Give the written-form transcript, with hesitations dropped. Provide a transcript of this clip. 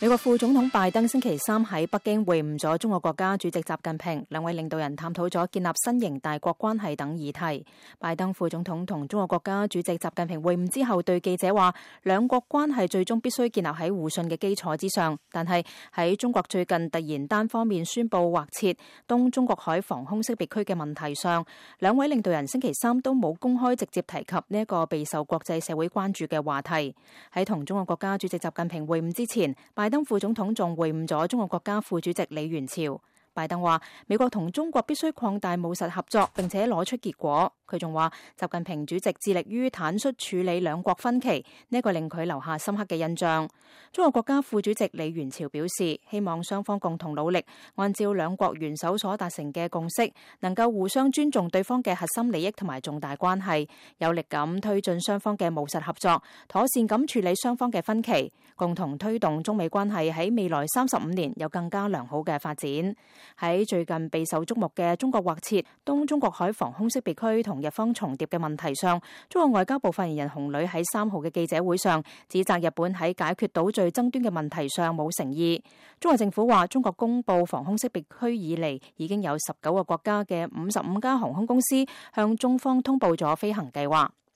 美國副總統拜登星期三喺北京會晤咗中國國家主席習近平，兩位領導人探討咗建立新型大國關係等議題。拜登副總統同中國國家主席習近平會晤之後，對記者話，兩國關係最終必須建立喺互信嘅基礎之上。但係喺中國最近突然單方面宣布劃設東中國海防空識別區嘅問題上，兩位領導人星期三都冇公開直接提及呢一個備受國際社會關注嘅話題。喺同中國國家主席習近平會晤之前，拜登副總統仲會晤咗中國國家副主席李源潮。拜登話，美國同中國必須擴大務實合作，並且攞出結果。佢仲話，習近平主席致力於坦率處理兩國分歧，呢個令佢留下深刻嘅印象。中國國家副主席李源潮表示，希望雙方共同努力，按照兩國元首所達成嘅共識，能夠互相尊重對方嘅核心利益同埋重大關係，有力咁推進雙方嘅務實合作，妥善咁處理雙方嘅分歧，共同推動中美關係喺未來35年有更加良好嘅發展。喺最近備受矚目嘅中國劃設東中國海防空識別區同日方重疊嘅問題上，中國外交部發言人洪磊喺3號嘅記者會上指責日本喺解決島嶼爭端嘅問題上冇誠意。中國政府話，中國公布防空識別區以嚟，已經有19個國家嘅55家航空公司向中方通報咗飛行計劃。